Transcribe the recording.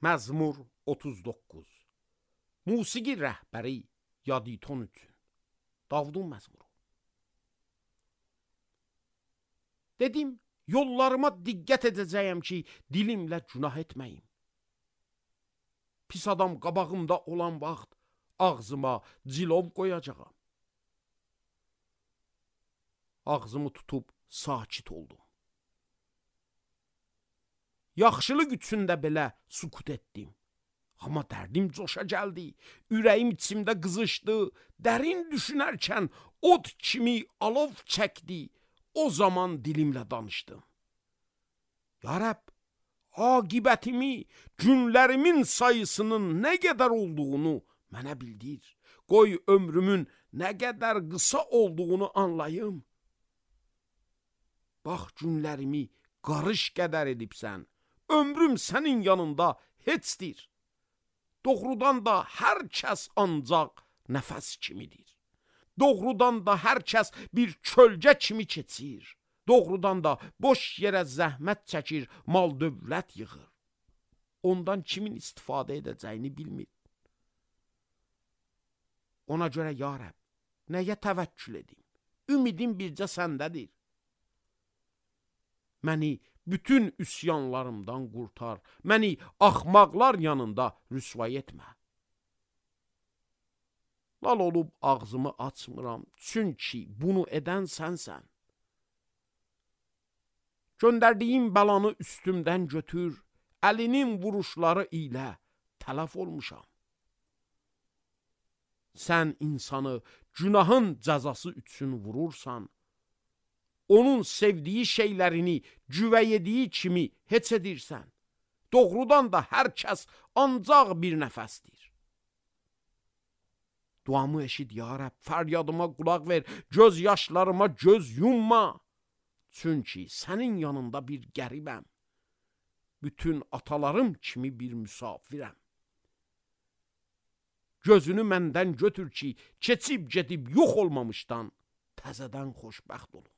Məzmur 39. Musiqi rəhbəri Yaditon üçün. Davudun məzmuru. Dedim, yollarıma diqqət edəcəyəm ki, dilimlə günah etməyim. Pis adam qabağımda olan vaxt ağzıma cilov qoyacağam. Ağzımı tutub sakit oldum. Yaxşılıq üçündə belə sukut etdim. Amma dərdim coşa gəldi, ürəyim içimdə qızışdı, dərin düşünərkən od kimi alov çəkdi, o zaman dilimlə danışdım. Ya Rəbb, aqibətimi, günlərimin sayısının nə qədər olduğunu mənə bildir. Qoy ömrümün nə qədər qısa olduğunu anlayım. Bax, günlərimi qarış qədər edibsən, ömrüm sənin yanında heçdir. Doğrudan da hər kəs ancaq nəfəs kimidir. Doğrudan da hər kəs bir kölgə kimi keçir. Doğrudan da boş yerə zəhmət çəkir, mal dövlət yığır. Ondan kimin istifadə edəcəyini bilmir. Ona görə ya Rəbb, nəyə təvəkkül edim? Ümidim bircə səndədir. Məni bütün üsyanlarımdan qurtar, məni axmaqlar yanında rüsvay etmə. Lal olub ağzımı açmıram, çünki bunu edən sənsən. Göndərdiyim bəlanı üstümdən götür, əlinin vuruşları ilə tələf olmuşam. Sən insanı günahın cəzası üçün vurursan, onun sevdiyi şeylərini güvəyediyi kimi heç edirsən. Doğrudan da hər kəs ancaq bir nəfəsdir. Duamı eşit ya Rəbb, fəryadıma qulaq ver, göz yaşlarıma göz yumma. Çünki sənin yanında bir qəribəm. Bütün atalarım kimi bir müsafirəm. Gözünü məndən götür ki, keçib gedib yox olmamışdan təzədən xoşbəxt olum.